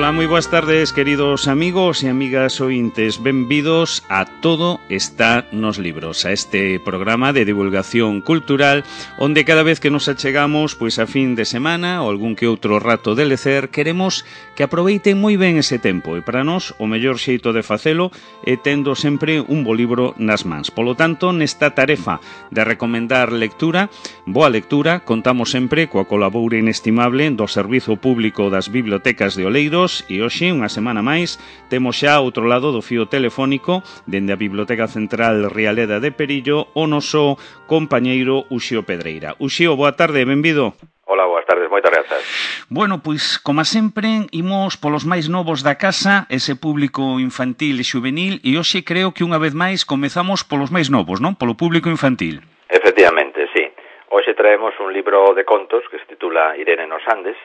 Ola, moi boas tardes, queridos amigos e amigas ointes. Benvidos a Todo está nos libros, a este programa de divulgación cultural onde cada vez que nos achegamos pois a fin de semana ou algún que outro rato de lecer, queremos que aproveiten moi ben ese tempo e para nós o mellor xeito de facelo é tendo sempre un bo libro nas mans. Polo tanto, nesta tarefa de recomendar lectura, boa lectura, contamos sempre coa colaboración inestimable do Servizo Público das Bibliotecas de Oleiros e hoxe, unha semana máis, temos xa ao outro lado do fío telefónico dende a Biblioteca Central Rialeda de Perillo o noso compañeiro Uxío Pedreira. Uxío, boa tarde, benvido. Hola, boas tardes, moitas grazas. Bueno, pois, como sempre, imos polos máis novos da casa, ese público infantil e xuvenil, e hoxe creo que unha vez máis comezamos polos máis novos, non? Polo público infantil. Efectivamente, sí. Hoxe traemos un libro de contos que se titula Irene nos Andes,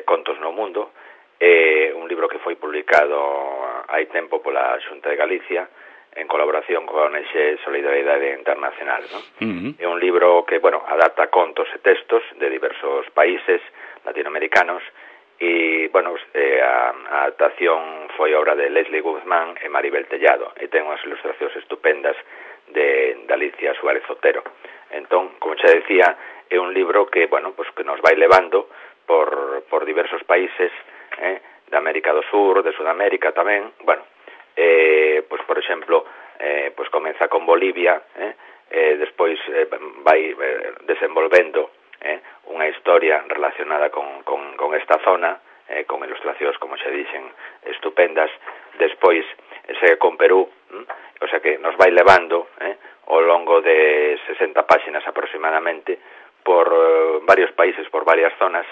Contos no Mundo, un libro que foi publicado hai tempo pola Xunta de Galicia en colaboración con a ONG Solidaridade Internacional, ¿no? É un libro que, bueno, adapta contos e textos de diversos países latinoamericanos e, bueno, a adaptación foi obra de Leslie Guzmán e Maribel Tellado e ten unhas ilustracións estupendas de Alicia Suárez Otero. Entón, como xa decía, é un libro que, bueno, pues que nos vai levando por diversos países, de América do Sur, de Sudamérica tamén, bueno, pues por exemplo, pues comeza con Bolivia, despois vai desenvolvendo unha historia relacionada con esta zona, con ilustracións, como xa dixen, estupendas, despois segue con Perú, o sea que nos vai levando ao longo de 60 páxinas aproximadamente por varios países, por varias zonas,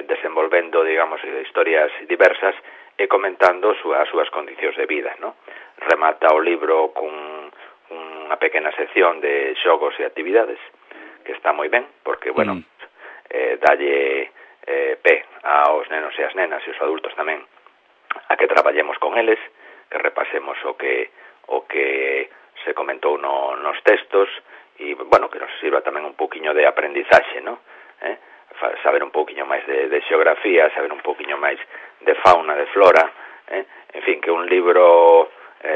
desenvolvendo, digamos, historias diversas e comentando as súas condicións de vida, ¿no? Remata o libro con unha pequena sección de xogos e actividades que está moi ben, porque, bueno, dalle pé aos nenos e as nenas e os adultos tamén a que traballemos con eles, que repasemos o que se comentou nos textos e, bueno, que nos sirva tamén un poquinho de aprendizaxe, ¿no? Saber un poquinho máis de xeografía, saber un poquinho máis de fauna, de flora, en fin, que un libro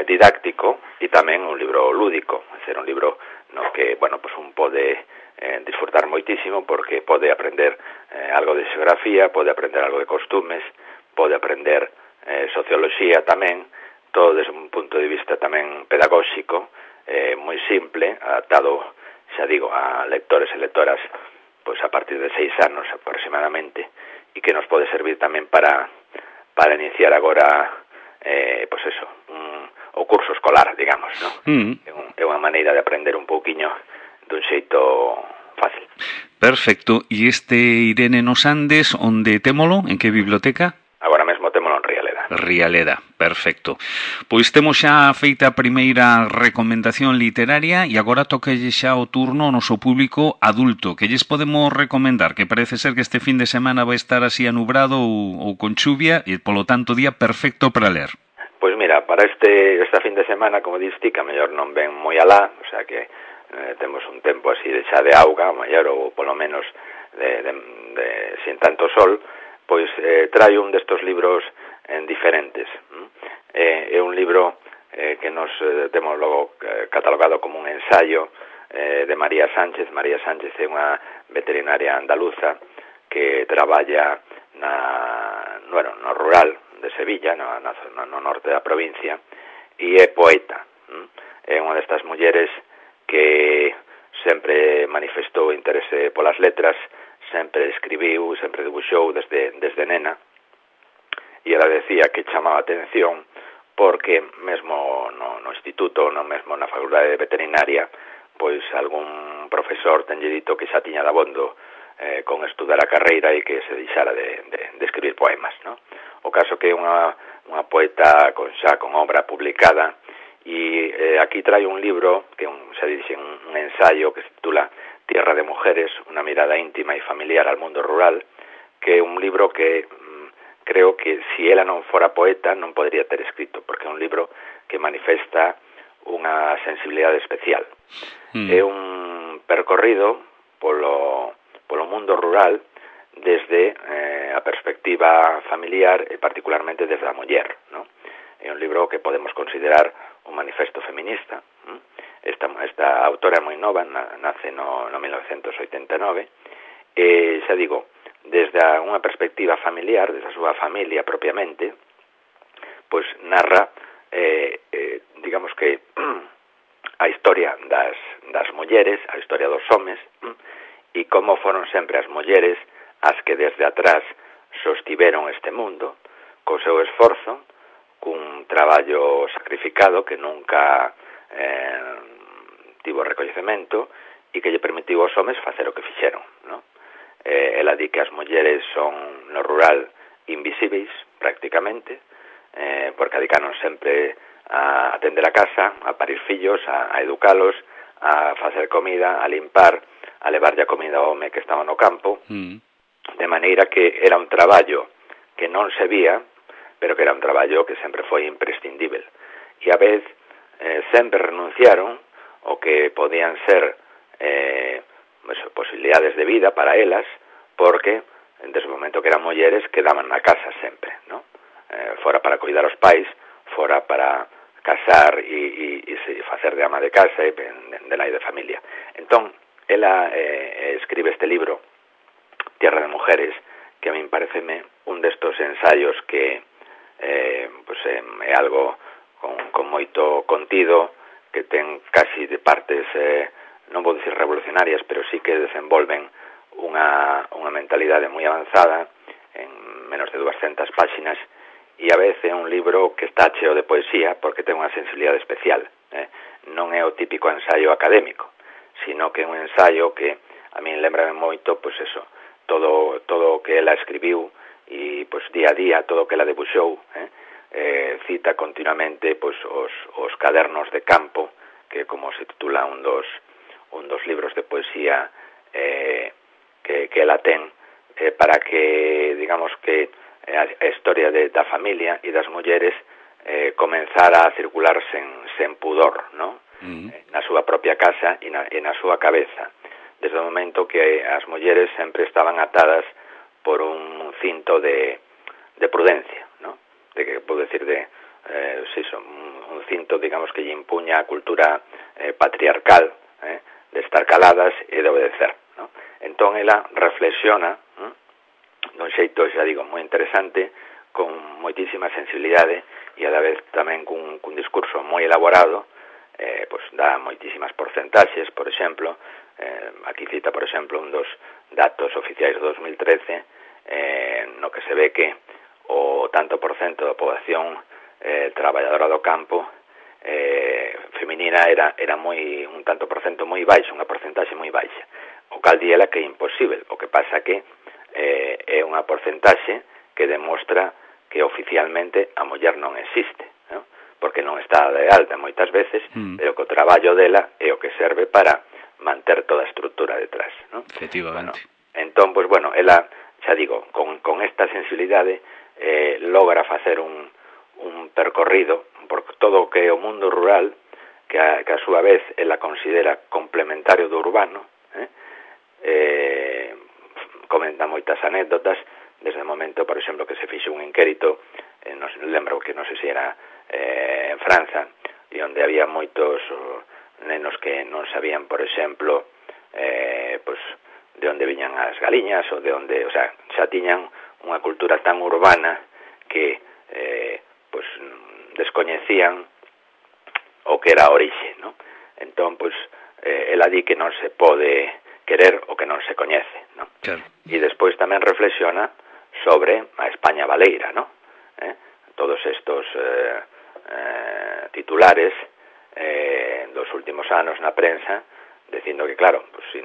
didáctico e tamén un libro lúdico, é ser un libro no que, bueno, pues un pode disfrutar moitísimo porque pode aprender algo de xeografía, pode aprender algo de costumes, pode aprender socioloxía tamén, todo desde un punto de vista tamén pedagóxico, moi simple, adaptado, xa digo, a lectores e lectoras pois a partir de 6 anos aproximadamente, e que nos pode servir tamén para iniciar agora pois eso, o curso escolar, digamos, ¿no? É unha maneira de aprender un pouquiño dun xeito fácil. Perfecto. E este Irene nos Andes, onde témolo? En que biblioteca? Agora mesmo témolo en Rialeda. Rialeda, perfecto. Pois temos xa feita a primeira recomendación literaria e agora tocalle xa o turno ao noso público adulto. Que lles podemos recomendar? Que parece ser que este fin de semana vai estar así anubrado ou con chuvia e, polo tanto, día perfecto para ler. Pois mira, para esta fin de semana, como diste, que a mellor non ven moi alá, o sea que temos un tempo así de xa de auga, a mellor, ou polo menos sin tanto sol, pois trae un destos libros diferentes. É un libro que nos temos logo catalogado como un ensayo de María Sánchez. María Sánchez é unha veterinaria andaluza que traballa no rural de Sevilla, no norte da provincia, e é poeta. É unha destas mulleres que sempre manifestou interese polas letras, sempre escribiu, sempre dibuixou desde nena, e ela decía que chamaba a atención porque mesmo no instituto, mesmo na facultade de veterinaria, pois algún profesor tenlle dito que xa tiña dabondo con estudar a carreira e que se deixara de escribir poemas, ¿no? O caso que é unha poeta con obra publicada, e aquí trae un libro que xa dixen, un ensayo que se titula Tierra de Mujeres, una mirada íntima e familiar al mundo rural, que é un libro que creo que si ela non fora poeta non podría ter escrito, porque é un libro que manifesta unha sensibilidade especial. É un percorrido polo mundo rural desde a perspectiva familiar e particularmente desde a muller, non? É un libro que podemos considerar un manifesto feminista. Esta autora é moi nova, nace no 1989, e xa digo, desde unha perspectiva familiar, desde a súa familia propiamente, pois narra, digamos que a historia das mulleres, a historia dos homes, e como foron sempre as mulleres as que desde atrás sostiveron este mundo co seu esforzo, cun traballo sacrificado que nunca tivo recoñecemento e que lle permitiu aos homes facer o que fixeron, non? Ela di que as mulleres son no rural invisíveis prácticamente, porque dedicaron sempre a atender a casa, a parir fillos, a educalos, a facer comida, a limpar, a levarlle a comida ao home que estaba no campo, de maneira que era un traballo que non se vía, pero que era un traballo que sempre foi imprescindível. E a vez sempre renunciaron o que podían ser posibilidades de vida para elas, porque desde o momento que eran mulleres quedaban na casa sempre, non? Fora para cuidar os pais, fora para casar e facer de ama de casa e de nai de familia. Entón, ela escribe este libro, Tierra de Mujeres, que a min pareceme un destos ensaios que é algo con moito contido, que ten casi de partes, non vou dicir revolucionarias, pero sí que desenvolven unha mentalidade moi avanzada en menos de 200 páxinas, e a vez é un libro que está cheo de poesía porque ten unha sensibilidade especial. Non é o típico ensaio académico, sino que é un ensaio que a min lembrame moito, pois eso, todo o que ela escribiu e pois día a día, todo o que ela debuxou, cita continuamente pois os cadernos de campo, que como se titula un dos libros de poesía que ela ten, para que, digamos que a historia da familia e das mulleres comenzara a circular sen pudor, non? Na súa propia casa e na súa cabeza, desde o momento que as mulleres sempre estaban atadas por un cinto de prudencia, non? De que podo decir un cinto, digamos, que lle impuña a cultura patriarcal, de estar caladas e de obedecer, non? Entón ela reflexiona dun xeito, xa digo, moi interesante, con moitísima sensibilidade e a la vez tamén cun discurso moi elaborado, pois dá moitísimas porcentaxes, por exemplo, aquí cita, por exemplo, un dos datos oficiais do 2013, no que se ve que o tanto por cento da poboación traballadora do campo feminina era un tanto por cento moi baixo, unha porcentaxe moi baixa, o cal di ela que é imposible. O que pasa que é unha porcentaxe que demostra que oficialmente a muller non existe, non? Porque non está de alta moitas veces, pero que o traballo dela é o que serve para manter toda a estrutura detrás, non? Efectivamente. Entón, pois, bueno, ela, xa digo, con esta sensibilidade logra facer un percorrido por todo o que é o mundo rural, que a súa vez ela considera complementario do urbano, comenta moitas anécdotas, desde o momento, por exemplo, que se fixo un inquérito, lembro que non sei se era en França, e onde había moitos nenos que non sabían, por exemplo, pois de onde viñan as galiñas, ou de onde, o sea, xa tiñan unha cultura tan urbana que pois descoñecían o que era a orixe, non? Entón, pois, ela di que non se pode querer o que non se coñece, non? Claro. E despois tamén reflexiona sobre a España baleira, non? Todos estos titulares dos últimos anos na prensa, dicindo que, claro, pues, se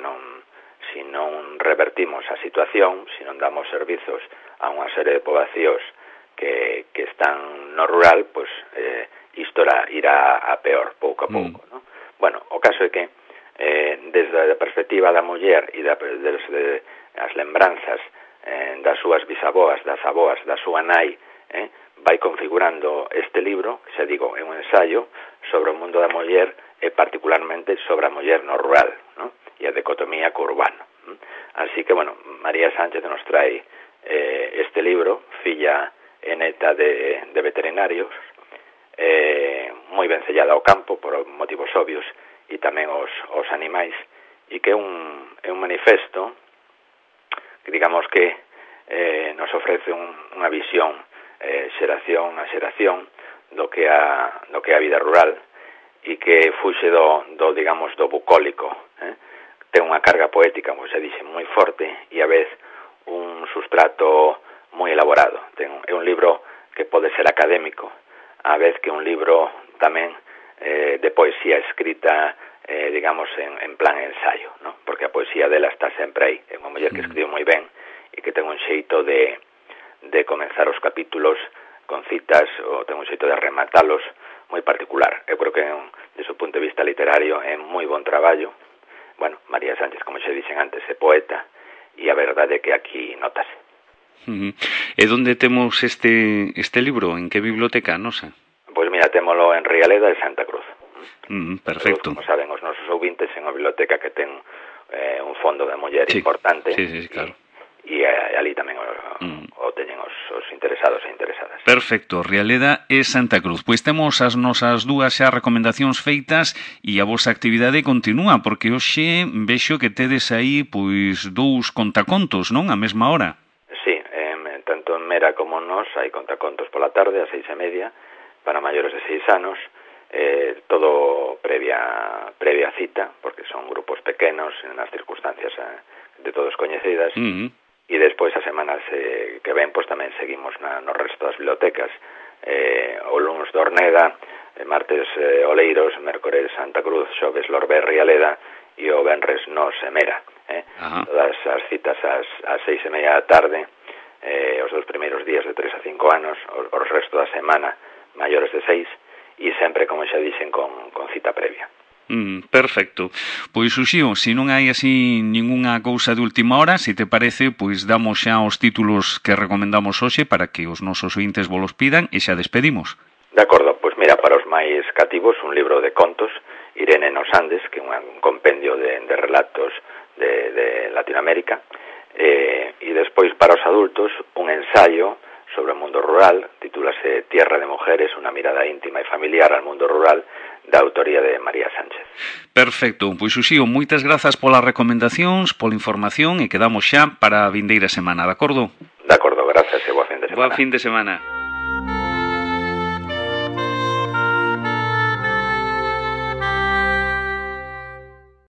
non revertimos a situación, se non damos servizos a unha serie de poboacións que están no rural, pues isto irá a peor, pouco a pouco, non? Bueno, o caso é que desde a perspectiva da muller e desde as lembranzas das súas bisavoas, das aboas, da súa nai, vai configurando este libro, que xa digo, é un ensaio sobre o mundo da muller e particularmente sobre a muller no rural, non? E a dicotomía co urbano. Así que, bueno, María Sánchez nos trae este libro, Filla e neta de veterinarios, moi ben sellada ao campo por motivos obvios e tamén os animais, e que é un manifesto que digamos que nos ofrece unha visión xeración a xeración do que a vida rural, e que fuxe do digamos do bucólico, ten unha carga poética, como se dixe, moi forte, e a vez un sustrato moi elaborado. É un libro que pode ser académico, a vez que un libro tamén de poesía escrita, digamos, en plan ensayo, ¿no? Porque a poesía dela está sempre aí. É unha muller que escribe moi ben e que ten un xeito de comenzar os capítulos con citas, ou ten un xeito de rematalos moi particular. Eu creo que, desde o punto de vista literario, é moi bon traballo. Bueno, María Sánchez, como xe dixen antes, é poeta, e a verdade é que aquí notase. E onde temos este libro? En que biblioteca nosa? Pois mira, témolo en Rialeda e Santa Cruz. Perfecto. Como saben os nosos ouvintes, é unha biblioteca que ten un fondo de muller importante. Sí, claro. E ali tamén o teñen os interesados e interesadas. Perfecto, Rialeda e Santa Cruz. Pois temos as nosas dúas xa recomendacións feitas e a vosa actividade continúa, porque hoxe vexo que tedes aí pois 2 contacontos, non? A mesma hora. Sí, tanto en Mera como nos hai contacontos pola tarde, a 6:30, para maiores de 6 anos, todo previa cita, porque son grupos pequenos, nas circunstancias de todos coñecidas. E despois as semanas que ven, pois tamén seguimos no resto das bibliotecas. O lunes de Orneda, martes Oleiros, mércores Santa Cruz, xoves Lorbe Rialeda e o venres nos Mera. Todas as citas ás 6:30 da tarde, os 2 primeiros días de 3 a 5 anos, o resto da semana maiores de 6, e sempre, como xa dixen, con cita previa. Perfecto. Pois, Uxío, se non hai así ningunha cousa de última hora, se te parece, pois damos xa os títulos que recomendamos hoxe para que os nosos ointes volos pidan e xa despedimos. De acordo, pois mira, para os máis cativos, un libro de contos, Irene nos Andes, que é un compendio de relatos de Latinoamérica, e despois para os adultos, un ensayo sobre o mundo rural, titúlase Tierra de Mujeres, unha mirada íntima e familiar al mundo rural, da autoría de María Sánchez. Perfecto, pois Uxío, moitas grazas polas recomendacións, pola información, e quedamos xa para a vindeira semana, de acordo? De acordo, grazas e boa fin de semana. Boa fin de semana.